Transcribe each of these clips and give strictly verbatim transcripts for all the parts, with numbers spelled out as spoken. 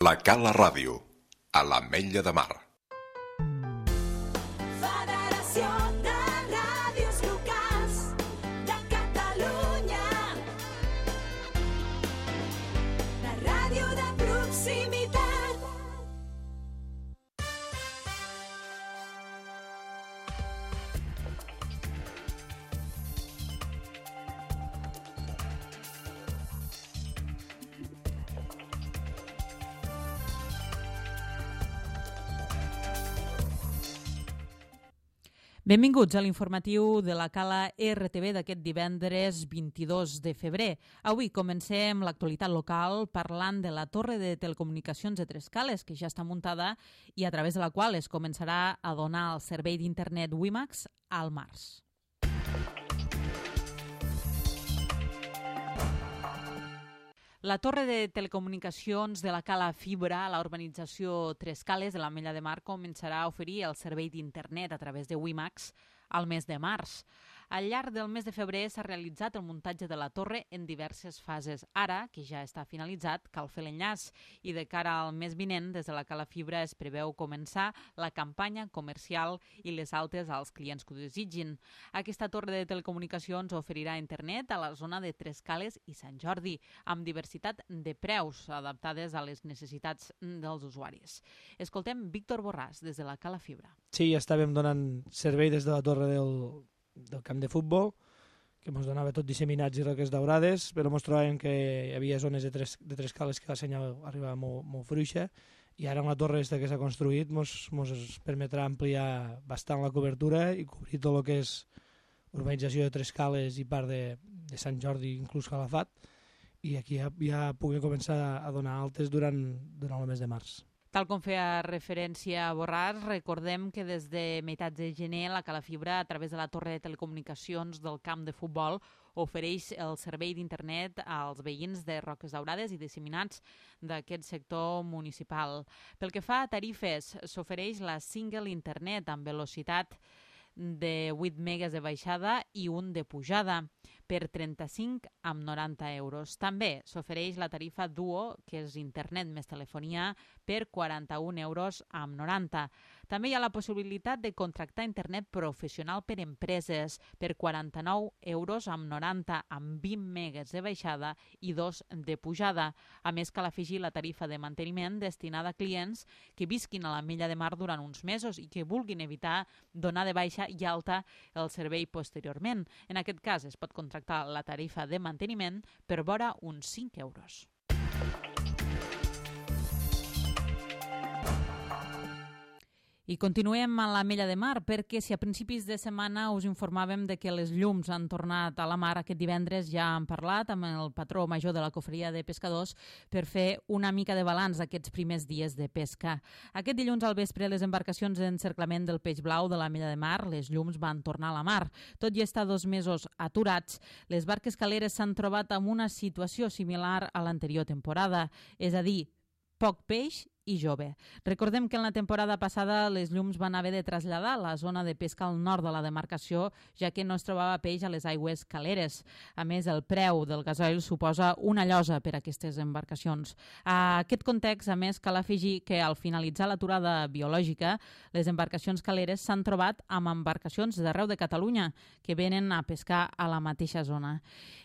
La Cala Ràdio, a l'Ametlla de Mar. Federació de Ràdios Locals de Catalunya. La ràdio de proximitat. Benvinguts a l'informatiu de la Cala R T V d'aquest divendres vint-i-dos de febrer. Avui comencem l'actualitat local parlant de la torre de telecomunicacions de Trescales, que ja està muntada i a través de la qual es començarà a donar el servei d'internet WiMAX al març. La torre de telecomunicacions de la Cala Fibra a la urbanització Trescales de l'Ametlla de Mar començarà a oferir el servei d'internet a través de WiMAX al mes de març. Al llarg del mes de febrer s'ha realitzat el muntatge de la torre en diverses fases. Ara, que ja està finalitzat, cal fer l'enllaç i de cara al mes vinent, des de la Cala Fibra es preveu començar la campanya comercial i les altes als clients que ho desitgin. Aquesta torre de telecomunicacions oferirà internet a la zona de Trescales i Sant Jordi, amb diversitat de preus adaptades a les necessitats dels usuaris. Escoltem Víctor Borràs, des de la Cala Fibra. Sí, ja estàvem donant servei des de la torre del, del camp de futbol, que ens donava tot disseminats i roques daurades, però ens trobàvem que hi havia zones de tres, de tres cales que la senyal arribava molt, molt fruixa, i ara amb la torre aquesta que s'ha construït ens permetrà ampliar bastant la cobertura i cobrir tot el que és urbanització de Trescales i part de, de Sant Jordi, inclús Calafat, i aquí ja, ja puguem començar a donar altes durant, durant el mes de març. Tal com feia referència a Borràs, recordem que des de meitats de gener la Cala Fibra, a través de la torre de telecomunicacions del camp de futbol, ofereix el servei d'internet als veïns de Roques Daurades i disseminats d'aquest sector municipal. Pel que fa a tarifes, s'ofereix la Single Internet amb velocitat de vuit megas de baixada i un de pujada per trenta-cinc amb noranta euros. També s'ofereix la tarifa Duo, que és internet més telefonia, per quaranta-un euros amb noranta. També hi ha la possibilitat de contractar internet professional per empreses per quaranta-nou euros amb noranta amb vint megas de baixada i dos de pujada. A més, cal afegir la tarifa de manteniment destinada a clients que visquin a l'Ametlla de Mar durant uns mesos i que vulguin evitar donar de baixa i alta el servei posteriorment. En aquest cas es pot contractar la tarifa de manteniment per vora uns cinc euros. I continuem a l'Ametlla de Mar perquè si a principis de setmana us informàvem de que les llums han tornat a la mar, aquest divendres ja han parlat amb el patró major de la Cofreria de Pescadors per fer una mica de balanç d'aquests primers dies de pesca. Aquest dilluns al vespre les embarcacions d'encerclament del peix blau de l'Ametlla de Mar, les llums van tornar a la mar. Tot i estar dos mesos aturats, les barques caleres s'han trobat amb una situació similar a l'anterior temporada, és a dir, poc peix i jove. Recordem que en la temporada passada les llums van haver de traslladar la zona de pesca al nord de la demarcació, ja que no es trobava peix a les aigües caleres. A més, el preu del gasoil suposa una llosa per a aquestes embarcacions. A aquest context, a més, cal afegir que al finalitzar l'aturada biològica, les embarcacions caleres s'han trobat amb embarcacions d'arreu de Catalunya que venen a pescar a la mateixa zona.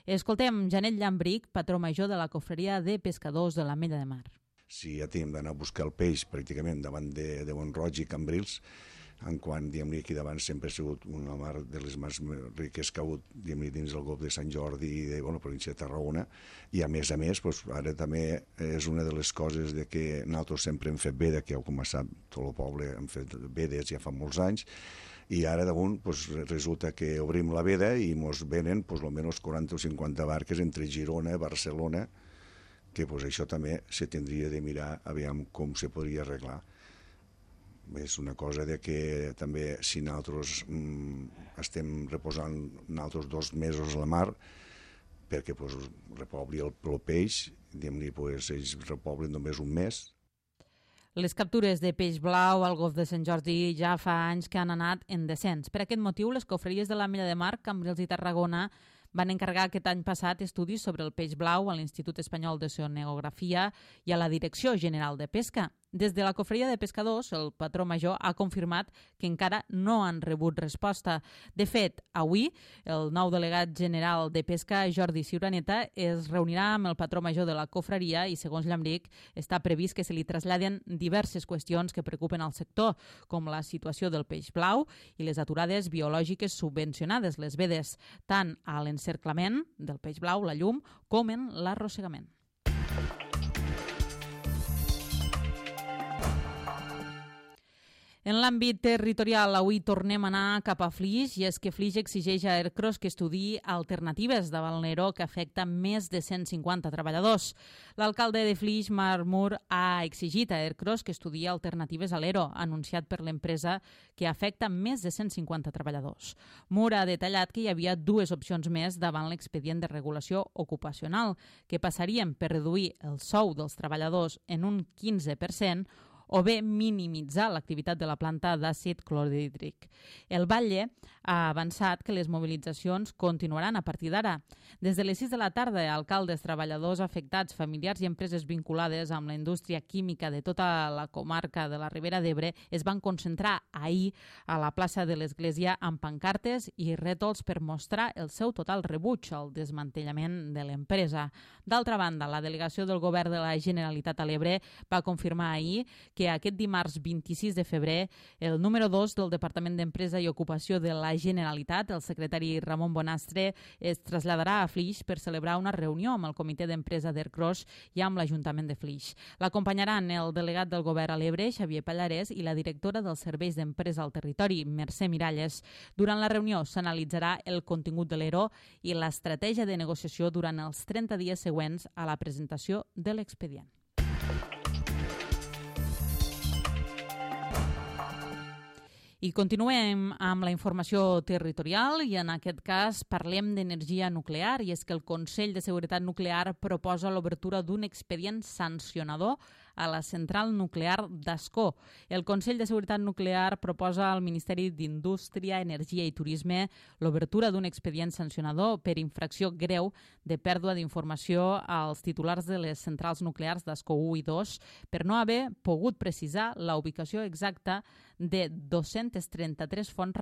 Escoltem Janet Llambric, patró major de la Cofreria de Pescadors de l'Ametlla de Mar. Si ja tenim d'anar a buscar el peix pràcticament davant de, de Mont-roig i Cambrils, en quan, diguem-ne, aquí davant sempre ha sigut una mar de les més riques que ha hagut, diguem-ne, dins del golf de Sant Jordi i de, bueno, província de Tarragona, i a més a més, doncs, ara també és una de les coses de que nosaltres sempre hem fet veda, que com sap tot el poble hem fet vedes ja fa molts anys, i ara damunt pues, resulta que obrim la veda i ens venen pues, almenys quaranta o cinquanta barques entre Girona i Barcelona, que pues, això també se tindria de mirar aviam com se podria arreglar. És una cosa de que també si nosaltres mm, estem reposant nosaltres dos mesos a la mar, perquè pues, repobli el, el peix, diguem-ne, pues, ells repoblen només un mes. Les captures de peix blau al golf de Sant Jordi ja fa anys que han anat en descens. Per aquest motiu, les cofreries de l'Ametlla de Mar, Cambrils i Tarragona van encarregar aquest any passat estudis sobre el peix blau a l'Institut Espanyol d'Oceanografia i a la Direcció General de Pesca. Des de la Cofreria de Pescadors, el patró major ha confirmat que encara no han rebut resposta. De fet, avui, el nou delegat general de Pesca, Jordi Ciuraneta, es reunirà amb el patró major de la Cofreria i, segons Llambric, està previst que se li traslladen diverses qüestions que preocupen al sector, com la situació del peix blau i les aturades biològiques subvencionades, les vedes, tant a l'encerclament del peix blau, la llum, com en l'arrossegament. En l'àmbit territorial, avui tornem a anar cap a Flix, i és que Flix exigeix a Ercros que estudiï alternatives davant l'ERO que afecta més de cent cinquanta treballadors. L'alcalde de Flix, Marc Mur, ha exigit a Ercros que estudiï alternatives a l'ERO, anunciat per l'empresa que afecta més de cent cinquanta treballadors. Mur ha detallat que hi havia dues opcions més davant l'expedient de regulació ocupacional, que passarien per reduir el sou dels treballadors en un quinze per cent o bé minimitzar l'activitat de la planta d'àcid clorhídric. El Batlle ha avançat que les mobilitzacions continuaran a partir d'ara. Des de les sis de la tarda, alcaldes, treballadors afectats, familiars i empreses vinculades amb la indústria química de tota la comarca de la Ribera d'Ebre es van concentrar ahir a la plaça de l'Església amb pancartes i rètols per mostrar el seu total rebuig al desmantellament de l'empresa. D'altra banda, la delegació del govern de la Generalitat a l'Ebre va confirmar ahir que aquest dimarts vint-i-sis de febrer el número dos del Departament d'Empresa i Ocupació de la Generalitat, el secretari Ramon Bonastre, es traslladarà a Flix per celebrar una reunió amb el comitè d'empresa d'Ercros i amb l'Ajuntament de Flix. L'acompanyaran el delegat del govern a l'Ebre, Xavier Pallarès, i la directora dels serveis d'empresa al territori, Mercè Miralles. Durant la reunió s'analitzarà el contingut de l'ERO i l'estratègia de negociació durant els trenta dies següents a la presentació de l'expedient. I continuem amb la informació territorial i en aquest cas parlem d'energia nuclear, i és que el Consell de Seguretat Nuclear proposa l'obertura d'un expedient sancionador a la central nuclear d'Ascó. El Consell de Seguretat Nuclear proposa al Ministeri d'Indústria, Energia i Turisme l'obertura d'un expedient sancionador per infracció greu de pèrdua d'informació als titulars de les centrals nuclears d'Ascó u i dos per no haver pogut precisar la ubicació exacta de dos-centes trenta-tres fonts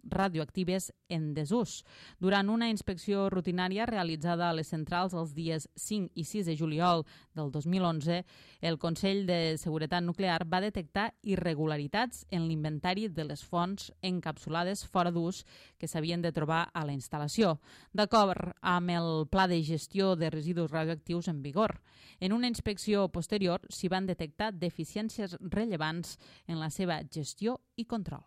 radioactives en desús. Durant una inspecció rutinària realitzada a les centrals els dies cinc i sis de juliol del dos mil onze, el Consell de Seguretat Nuclear va detectar irregularitats en l'inventari de les fonts encapsulades fora d'ús que s'havien de trobar a la instal·lació, d'acord amb el Pla de Gestió de Residus Radioactius en vigor. En una inspecció posterior s'hi van detectar deficiències rellevants en la seva gestió i control.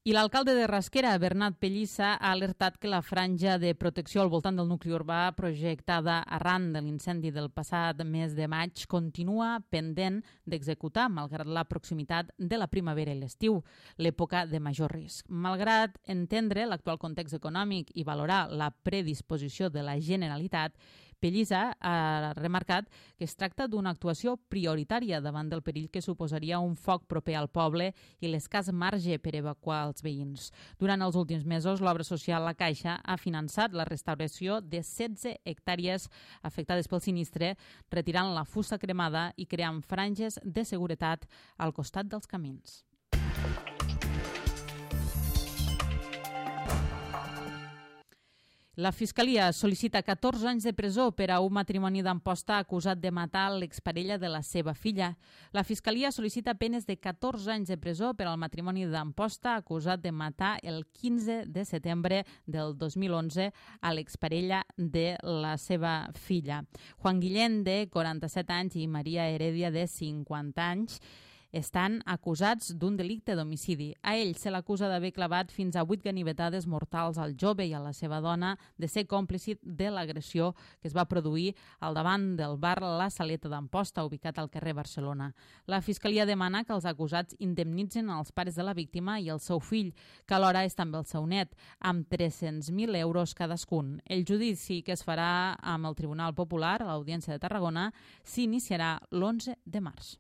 I l'alcalde de Rasquera, Bernat Pellissa, ha alertat que la franja de protecció al voltant del nucli urbà projectada arran de l'incendi del passat mes de maig continua pendent d'executar, malgrat la proximitat de la primavera i l'estiu, l'època de major risc. Malgrat entendre l'actual context econòmic i valorar la predisposició de la Generalitat, Pellissa ha remarcat que es tracta d'una actuació prioritària davant del perill que suposaria un foc proper al poble i l'escàs marge per evacuar els veïns. Durant els últims mesos, l'obra social La Caixa ha finançat la restauració de setze hectàrees afectades pel sinistre, retirant la fusta cremada i creant franges de seguretat al costat dels camins. La Fiscalia sol·licita catorze anys de presó per a un matrimoni d'Amposta acusat de matar l'exparella de la seva filla. La Fiscalia sol·licita penes de catorze anys de presó per al matrimoni d'Amposta acusat de matar el quinze de setembre del dos mil onze a l'exparella de la seva filla. Juan Guillén, de quaranta-set anys, i Maria Heredia, de cinquanta anys, estan acusats d'un delicte d'homicidi. A ell se l'acusa d'haver clavat fins a vuit ganivetades mortals al jove i a la seva dona, de ser còmplice de l'agressió que es va produir al davant del bar La Saleta d'Amposta, ubicat al carrer Barcelona. La Fiscalia demana que els acusats indemnitzen els pares de la víctima i el seu fill, que alhora és també el seu net, amb tres-cents mil euros cadascun. El judici, que es farà amb el Tribunal Popular a l'Audiència de Tarragona, s'iniciarà l'onze de març.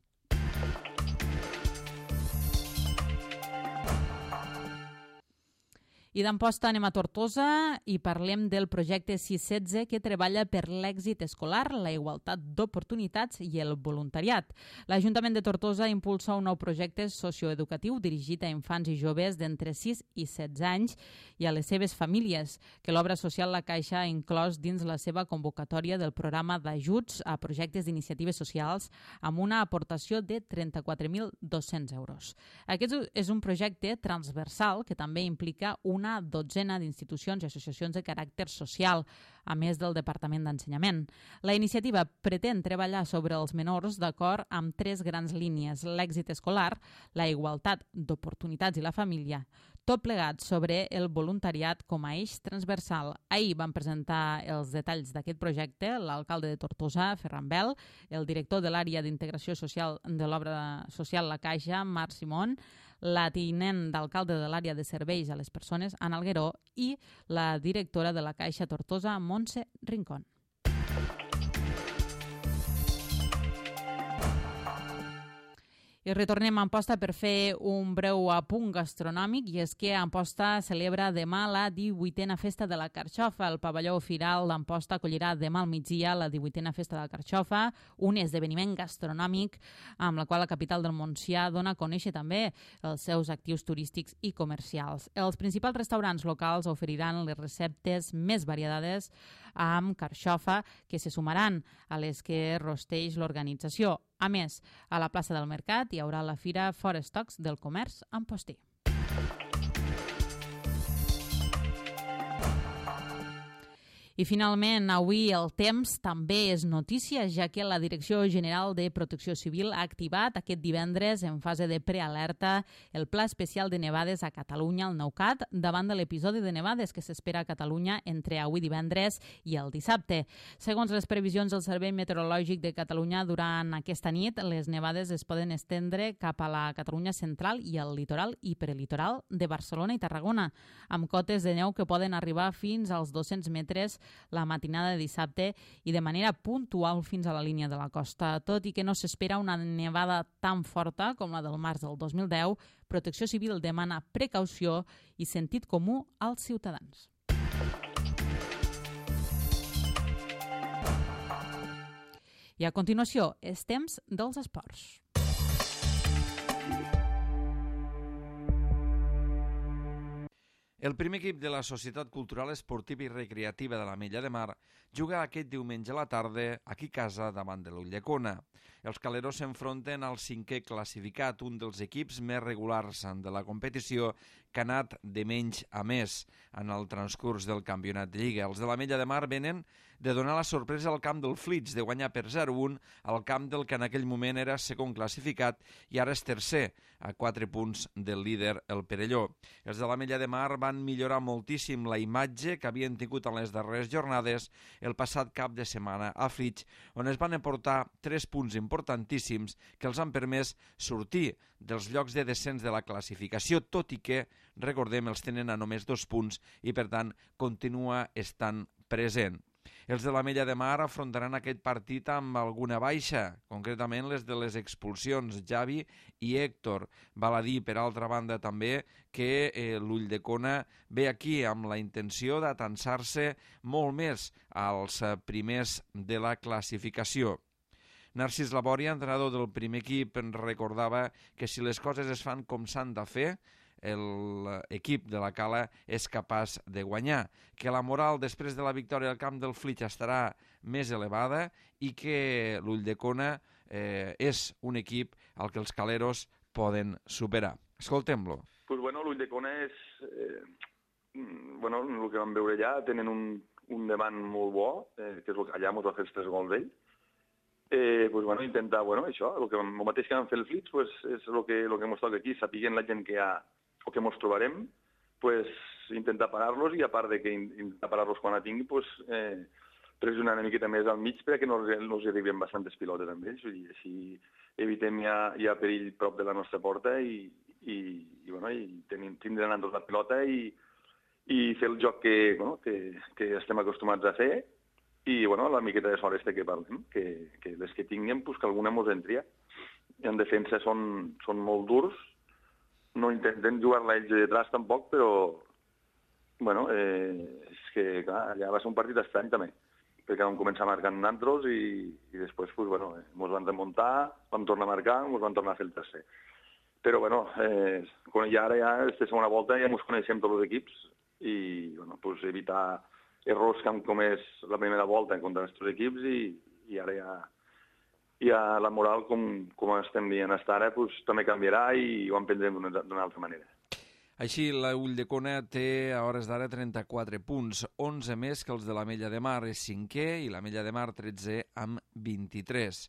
I d'Amposta anem a Tortosa i parlem del projecte sis setze que treballa per l'èxit escolar, la igualtat d'oportunitats i el voluntariat. L'Ajuntament de Tortosa impulsa un nou projecte socioeducatiu dirigit a infants i joves d'entre sis i setze anys i a les seves famílies, que l'obra social La Caixa ha inclòs dins la seva convocatòria del programa d'ajuts a projectes d'iniciatives socials amb una aportació de trenta-quatre mil dos-cents euros. Aquest és un projecte transversal que també implica una dotzena d'institucions i associacions de caràcter social, a més del Departament d'Ensenyament. La iniciativa pretén treballar sobre els menors d'acord amb tres grans línies: l'èxit escolar, la igualtat d'oportunitats i la família, tot plegat sobre el voluntariat com a eix transversal. Ahir van presentar els detalls d'aquest projecte l'alcalde de Tortosa, Ferran Bel, el director de l'àrea d'integració social de l'obra social La Caixa, Marc Simón, la tinent d'alcalde de l'àrea de serveis a les persones, Anna Algueró, i la directora de La Caixa Tortosa, Montse Rincón. I retornem a Amposta per fer un breu apunt gastronòmic, i és que Amposta celebra demà la divuitena Festa de la Carxofa. El pavelló Firal d'Amposta acollirà demà al migdia la divuitena Festa de la Carxofa, un esdeveniment gastronòmic amb la qual la capital del Montsià dona a conèixer també els seus actius turístics i comercials. Els principals restaurants locals oferiran les receptes més variades amb carxofa que se sumaran a les que rosteix l'organització. A més, a la plaça del Mercat hi haurà la fira Forestocs del comerç amposter. I finalment, avui el temps també és notícia, ja que la Direcció General de Protecció Civil ha activat aquest divendres, en fase de prealerta, el Pla Especial de Nevades a Catalunya, el NEUCAT, davant de l'episodi de nevades que s'espera a Catalunya entre avui divendres i el dissabte. Segons les previsions del Servei Meteorològic de Catalunya, durant aquesta nit les nevades es poden estendre cap a la Catalunya central i al litoral i prelitoral de Barcelona i Tarragona, amb cotes de neu que poden arribar fins als dos-cents metres la matinada de dissabte i de manera puntual fins a la línia de la costa. Tot i que no s'espera una nevada tan forta com la del març del dos mil deu, Protecció Civil demana precaució i sentit comú als ciutadans. I a continuació, és temps dels esports. El primer equip de la Societat Cultural Esportiva i Recreativa de l'Ametlla de Mar juga aquest diumenge a la tarda aquí a casa davant de l'Ulldecona. Els caleros s'enfronten al cinquè classificat, un dels equips més regulars de la competició que ha anat de menys a més en el transcurs del campionat de Lliga. Els de l'Ametlla de Mar venen de donar la sorpresa al camp del Flix, de guanyar per zero a un al camp del que en aquell moment era segon classificat i ara és tercer, a quatre punts del líder, el Perelló. Els de l'Ametlla de Mar van millorar moltíssim la imatge que havien tingut en les darreres jornades el passat cap de setmana a Flix, on es van aportar tres punts importantíssims que els han permès sortir dels llocs de descens de la classificació, tot i que, recordem, els tenen a només dos punts i, per tant, continua estant present. Els de l'Ametlla de Mar afrontaran aquest partit amb alguna baixa, concretament les de les expulsions, Javi i Héctor. Val a dir, per altra banda, també que eh, l'Ulldecona ve aquí amb la intenció d'atansar-se molt més als eh, primers de la classificació. Narcís Labòria, entrenador del primer equip, recordava que si les coses es fan com s'han de fer, l'equip de la Cala és capaç de guanyar, que la moral després de la victòria al camp del Flix estarà més elevada i que l'Ulldecona eh, és un equip al que els caleros poden superar. Escoltem-lo. Pues bueno, l'Ulldecona és... Eh, bueno, el que vam veure allà, tenen un, un davant molt bo, eh, que és el que allà ens va fer els tres gols d'ell. Eh, pues bueno, intentar, bueno, això, el, que, el mateix que vam fer el Flix, pues, és el que, el que ens toca aquí, sapiguent la gent que hi ha o que ens trobarem, pues, intentar parar-los i a part de que intentar parar-los quan la tingui, pues, eh, pressionar una miqueta més al mig perquè no, no us arribem bastantes pilotes amb ells, i així evitem ja, ja perill prop de la nostra porta i, i, i, bueno, i tenim, tindran endos la pilota i, i fer el joc que, bueno, que, que estem acostumats a fer i bueno, la miqueta de sort este que parlem, que, que les que tinguem, pues, que alguna mos entria. En defensa són, són molt durs, no intenten jugar-la ells de detrás tampoc, però, bueno, eh, és que, clar, allà va ser un partit estrany també, perquè vam començar marcant nantros i, i després, pues, bueno, eh, ens van remuntar, vam tornar a marcar, ens van tornar a fer el tercer. Però, bueno, eh, quan ja ara, ja, aquesta segona volta, ja ens coneixem tots els equips i, bueno, pues, evitar errors que han comès la primera volta en contra dels equips i, i ara ja, ja la moral, com, com estem dient fins ara, pues, també canviarà i ho emprendrem d'una altra manera. Així, la Ulldecona té a hores d'ara trenta-quatre punts, onze més que els de l'Ametlla de Mar, és cinquè, i l'Ametlla de Mar tretze amb vint-i-tres.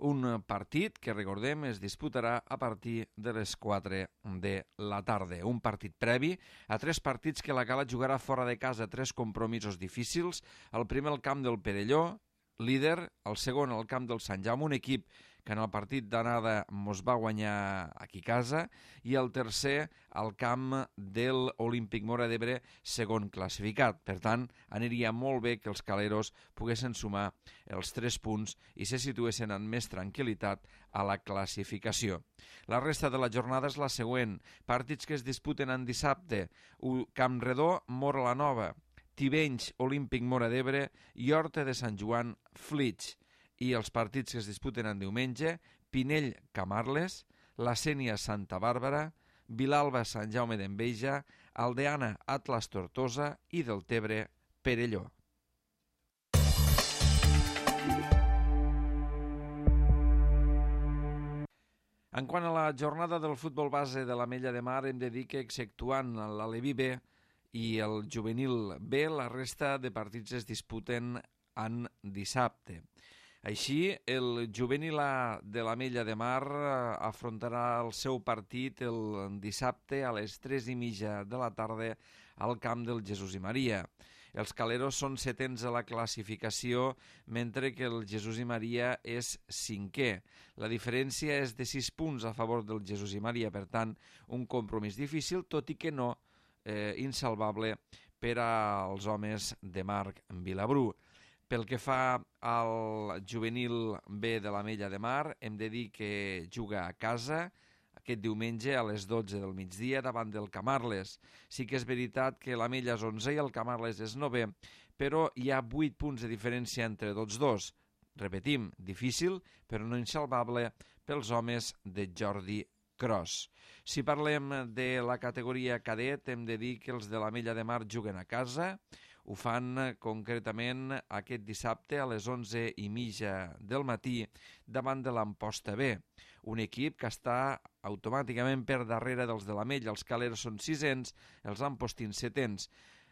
Un partit que, recordem, es disputarà a partir de les quatre de la tarda. Un partit previ a tres partits que la Cala jugarà fora de casa, tres compromisos difícils. El primer al camp del Perelló, líder, el segon al camp del Sant Jaume, un equip que en el partit d'anada mos va guanyar aquí a casa, i el tercer al camp del Olímpic Móra d'Ebre, segon classificat. Per tant, aniria molt bé que els caleros poguessin sumar els tres punts i se situessin amb més tranquil·litat a la classificació. La resta de la jornada és la següent. Partits que es disputen en dissabte: Camp Redó, Móra la Nova; Tivenys, Olímpic Móra d'Ebre; i Horta de Sant Joan, Flix. I els partits que es disputen en diumenge: Pinell, Camarles; La Sénia, Santa Bàrbara; Vilalba, Sant Jaume d'Enveja; Aldeana, Atlas Tortosa; i Deltebre, Perelló. En quant a la jornada del futbol base de l'Ametlla de Mar, hem de dir que, exceptuant l'Aleví B i el Juvenil B, la resta de partits es disputen en dissabte. Així, el Juvenil A de l'Ametlla de Mar afrontarà el seu partit el dissabte a les tres i mitja de la tarda al camp del Jesús i Maria. Els caleros són setens a la classificació, mentre que el Jesús i Maria és cinquè. La diferència és de sis punts a favor del Jesús i Maria, per tant, un compromís difícil, tot i que no eh, insalvable per als homes de Marc Vilabrú. Pel que fa al Juvenil B de l'Ametlla de Mar, hem de dir que juga a casa aquest diumenge a les dotze del migdia davant del Camarles. Sí que és veritat que l'Ametlla és onze i el Camarles és novè, però hi ha vuit punts de diferència entre tots dos. Repetim, difícil, però no insalvable pels homes de Jordi Cros. Si parlem de la categoria cadet, hem de dir que els de l'Ametlla de Mar juguen a casa. Ho fan concretament aquest dissabte a les onze i mitja del matí davant de l'Amposta B, un equip que està automàticament per darrere dels de l'Ametlla. Els caleros són sisens, els ampostins setens.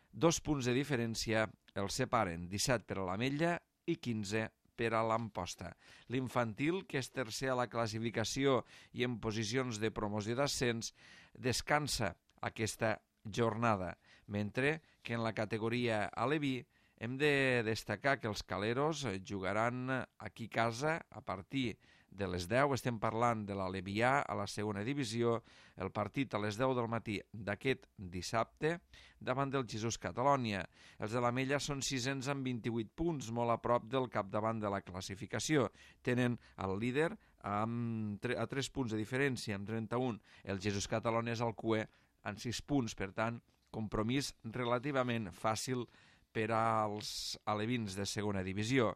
Dos punts de diferència els separen, disset per a l'Ametlla i quinze per a l'Amposta. L'infantil, que és tercer a la classificació i en posicions de promoció d'ascens, descansa aquesta jornada, mentre que en la categoria aleví hem de destacar que els caleros jugaran aquí a casa a partir de les deu. Estem parlant de l'Alevià a la segona divisió, el partit a les deu del matí d'aquest dissabte davant del Jesús Catalònia. Els de l'Ametlla són sisens amb vint-i-vuit punts, molt a prop del capdavant de la classificació. Tenen el líder amb tre- a tres punts de diferència, amb trenta-un. El Jesús Catalònia és el cuer en sis punts, per tant, compromís relativament fàcil per als alevins de segona divisió.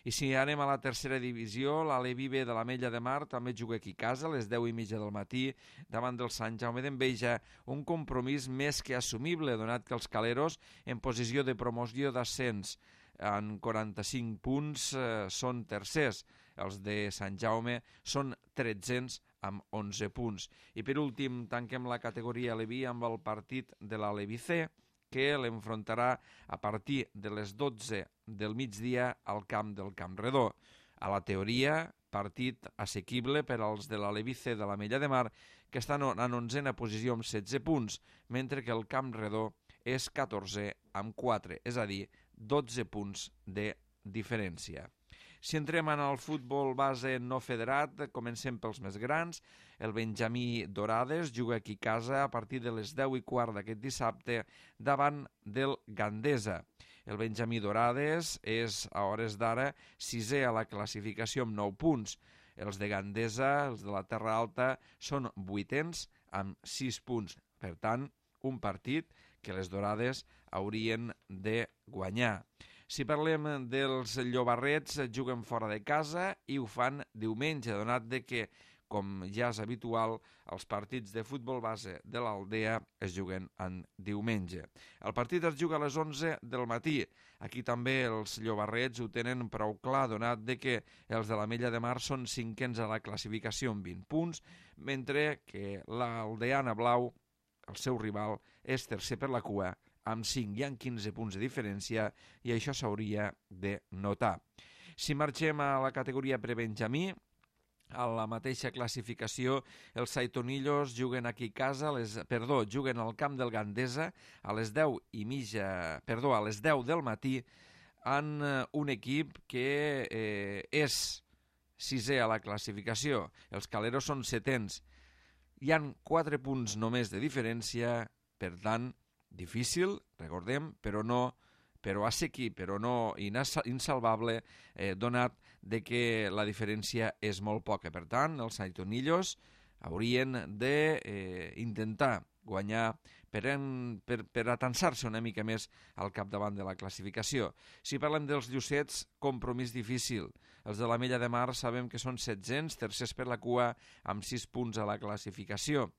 I si anem a la tercera divisió, l'Aleví B de l'Ametlla de Mar també juga aquí a casa a les deu i mitja del matí davant del Sant Jaume d'Enveja, un compromís més que assumible, donat que els caleros en posició de promoció d'ascens en quaranta-cinc punts eh, són tercers. Els de Sant Jaume són tretzens amb onze punts. I per últim tanquem la categoria Aleví amb el partit de l'Aleví C, que l'enfrontarà a partir de les dotze del migdia al camp del Camp Redó. A la teoria, partit assequible per als de l'Aleví C de l'Ametlla de Mar, que estan en onzena posició amb setze punts, mentre que el Camp Redó és catorzè amb quatre, és a dir, dotze punts de diferència. Si entrem en el futbol base no federat, comencem pels més grans. El Benjamí Dorades juga aquí a casa a partir de les deu i quart d'aquest dissabte davant del Gandesa. El Benjamí Dorades és, a hores d'ara, sisè a la classificació amb nou punts. Els de Gandesa, els de la Terra Alta, són vuitens amb sis punts. Per tant, un partit que les dorades haurien de guanyar. Si parlem dels llobarrets, juguen fora de casa i ho fan diumenge, donat de que, com ja és habitual, els partits de futbol base de l'Aldea es juguen en diumenge. El partit es juga a les onze del matí. Aquí també els llobarrets ho tenen prou clar, donat de que els de l'Ametlla de Mar són cinquens a la classificació amb vint punts, mentre que l'Aldeana Blau, el seu rival, és tercer per la cua, amb cinc i amb quinze punts de diferència, i això s'hauria de notar. Si marxem a la categoria prebenjamí, a la mateixa classificació, els Saitonillos juguen aquí a casa, les, perdó, juguen al camp del Gandesa a les deu i mitja, perdó, a les deu del matí, en un equip que eh, és sisè a la classificació. Els Caleros són setens. Hi han quatre punts només de diferència, per tant, difícil, recordem, però no però assequible, però no insalvable, eh, donat de que la diferència és molt poca. Per tant, els Saitonillos haurien d'intentar eh, guanyar per, en, per, per atansar-se una mica més al capdavant de la classificació. Si parlem dels Llucets, compromís difícil. Els de l'Ametlla de Mar sabem que són setzents, tercers per la cua, amb sis punts a la classificació.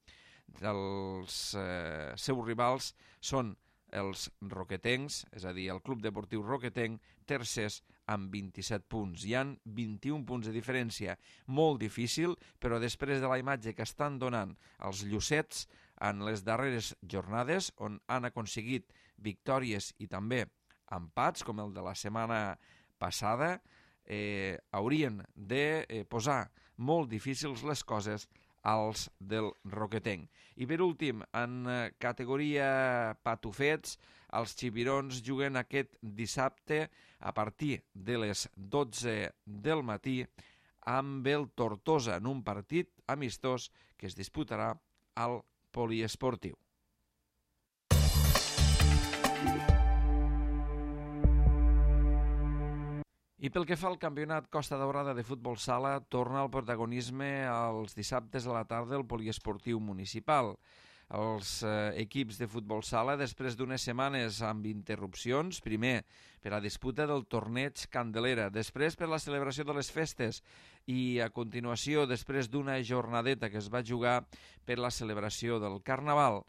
Els eh, seus rivals són els roquetencs, és a dir, el Club Deportiu Roquetenc, tercers amb vint-i-set punts. Hi han vint-i-un punts de diferència, molt difícil, però després de la imatge que estan donant els Llucets en les darreres jornades, on han aconseguit victòries i també empats, com el de la setmana passada, eh, haurien de eh, posar molt difícils les coses als del Roquetenc. I per últim, en categoria patufets, els xipirons juguen aquest dissabte a partir de les dotze del matí amb el Tortosa en un partit amistós que es disputarà al poliesportiu. I pel que fa al campionat Costa Daurada de futbol sala, torna al protagonisme els dissabtes a la tarda el poliesportiu municipal. Els eh, equips de futbol sala, després d'unes setmanes amb interrupcions, primer per la disputa del torneig Candelera, després per la celebració de les festes i a continuació després d'una jornadeta que es va jugar per la celebració del Carnaval.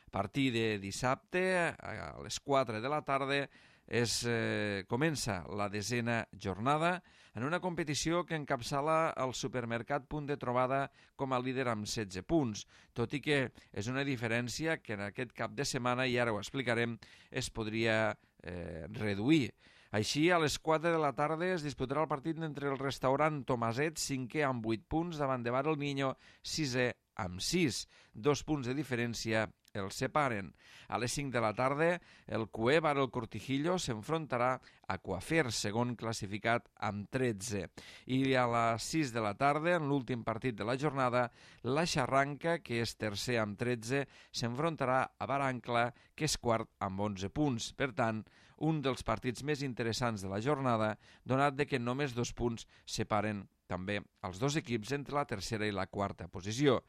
A partir de dissabte, a les quatre de la tarda, Es, eh, comença la desena jornada en una competició que encapçala el supermercat Punt de Trobada com a líder amb setze punts, tot i que és una diferència que en aquest cap de setmana, i ara ho explicarem, es podria eh, reduir. Així, a les quatre de la tarda es disputarà el partit entre el restaurant Tomaset, cinquè amb vuit punts, davant de Bar El Niño, sisè amb sis. Dos punts de diferència els separen. A les cinc de la tarda, el Cué Bar El Cortijillo s'enfrontarà a Coafer, segon classificat amb tretze. I a les sis de la tarda, en l'últim partit de la jornada, la Xarranca, que és tercer amb tretze, s'enfrontarà a Barancla, que és quart amb onze punts. Per tant, un dels partits més interessants de la jornada, donat de que només dos punts separen també els dos equips entre la tercera i la quarta posició.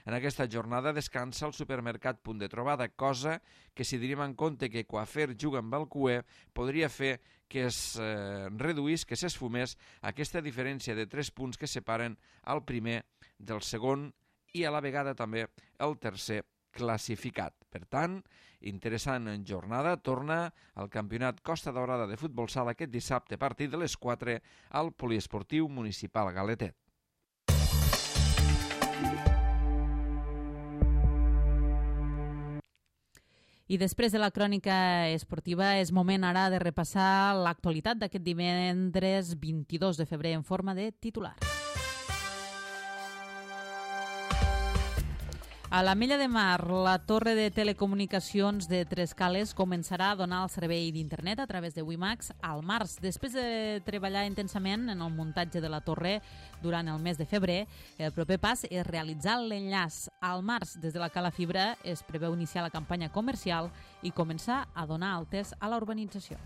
En aquesta jornada descansa el supermercat Punt de Trobada, cosa que, si tenim en compte que Coafer juga amb el Cué, podria fer que es eh, reduís, que s'esfumés aquesta diferència de tres punts que separen el primer del segon i a la vegada també el tercer classificat. Per tant, interessant jornada, torna al campionat Costa Daurada de futbol sala aquest dissabte a partir de les quatre al poliesportiu municipal Galetet. I després de la crònica esportiva és moment ara de repassar l'actualitat d'aquest divendres vint-i-dos de febrer en forma de titular. A l'Ametlla de Mar, la torre de telecomunicacions de Trescales començarà a donar el servei d'internet a través de WiMAX al març. Després de treballar intensament en el muntatge de la torre durant el mes de febrer, el proper pas és realitzar l'enllaç. Al març, des de la Cala Fibra, es preveu iniciar la campanya comercial i començar a donar altes a la urbanització.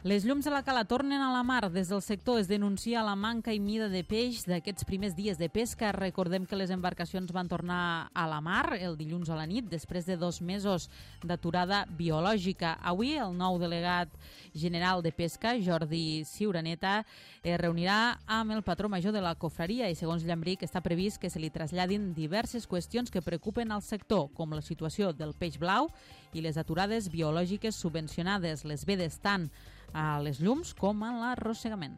Les llums de la cala tornen a la mar. Des del sector es denuncia la manca i mida de peix d'aquests primers dies de pesca. Recordem que les embarcacions van tornar a la mar el dilluns a la nit, després de dos mesos d'aturada biològica. Avui, el nou delegat general de pesca, Jordi Ciuraneta, es reunirà amb el patró major de la cofreria i, segons Llambric, està previst que se li traslladin diverses qüestions que preocupen al sector, com la situació del peix blau i les aturades biològiques subvencionades, les vedes tant a les llums com a l'arrossegament.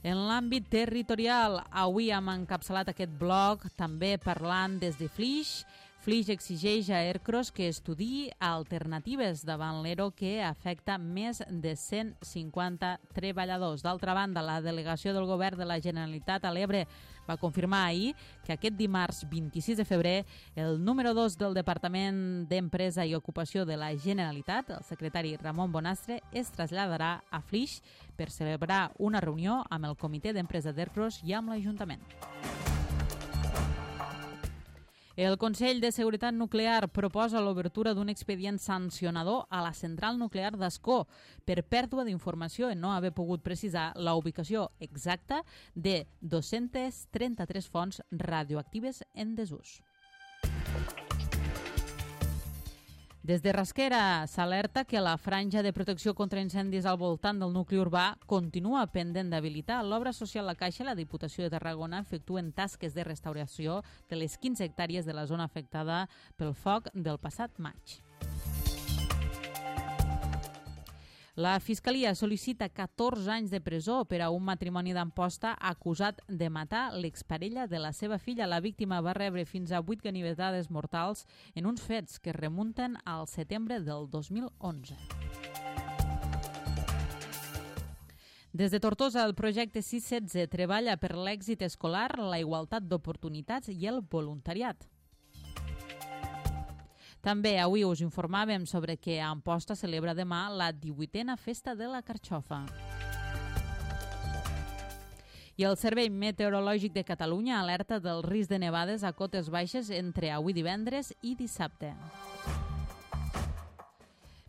En l'àmbit territorial, avui hem encapçalat aquest bloc també parlant des de Flix. Flix exigeix a Ercros que estudiï alternatives davant l'E R O que afecta més de cent cinquanta treballadors. D'altra banda, la delegació del govern de la Generalitat a l'Ebre va confirmar ahir que aquest dimarts vint-i-sis de febrer el número dos del Departament d'Empresa i Ocupació de la Generalitat, el secretari Ramon Bonastre, es traslladarà a Flix per celebrar una reunió amb el Comitè d'Empresa d'Ercros i amb l'Ajuntament. El Consell de Seguretat Nuclear proposa l'obertura d'un expedient sancionador a la central nuclear d'Ascó per pèrdua d'informació en no haver pogut precisar la ubicació exacta de dos-centes trenta-tres fonts radioactives en desús. Des de Rasquera s'alerta que la franja de protecció contra incendis al voltant del nucli urbà continua pendent d'habilitar. L'obra social La Caixa i la Diputació de Tarragona efectuen tasques de restauració de les quinze hectàrees de la zona afectada pel foc del passat maig. La Fiscalia sol·licita catorze anys de presó per a un matrimoni d'Amposta acusat de matar l'exparella de la seva filla. La víctima va rebre fins a vuit ganivetades mortals en uns fets que remunten al setembre del dos mil onze. Des de Tortosa, el projecte sis setze treballa per l'èxit escolar, la igualtat d'oportunitats i el voluntariat. També avui us informàvem sobre que a Amposta celebra demà la divuitena Festa de la Carxofa. I el Servei Meteorològic de Catalunya alerta del risc de nevades a cotes baixes entre avui divendres i dissabte.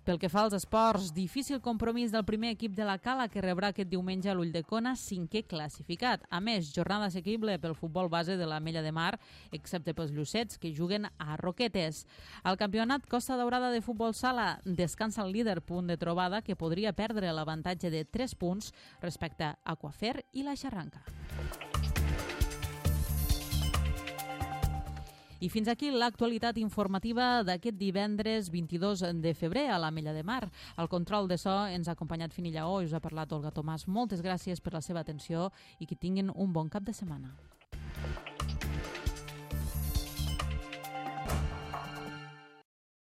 Pel que fa als esports, difícil compromís del primer equip de la Cala que rebrà aquest diumenge a l'Ulldecona, cinquè classificat. A més, jornada assequible pel futbol base de l'Ametlla de Mar, excepte pels llucets que juguen a Roquetes. Al campionat Costa Daurada de futbol sala descansa el líder, punt de trobada que podria perdre l'avantatge de tres punts respecte a Aquafer i la Xarranca. I fins aquí l'actualitat informativa d'aquest divendres vint-i-dos de febrer a l'Ametlla de Mar. Al control de so ens ha acompanyat Fini Lleó i us ha parlat Olga Tomàs. Moltes gràcies per la seva atenció i que tinguin un bon cap de setmana.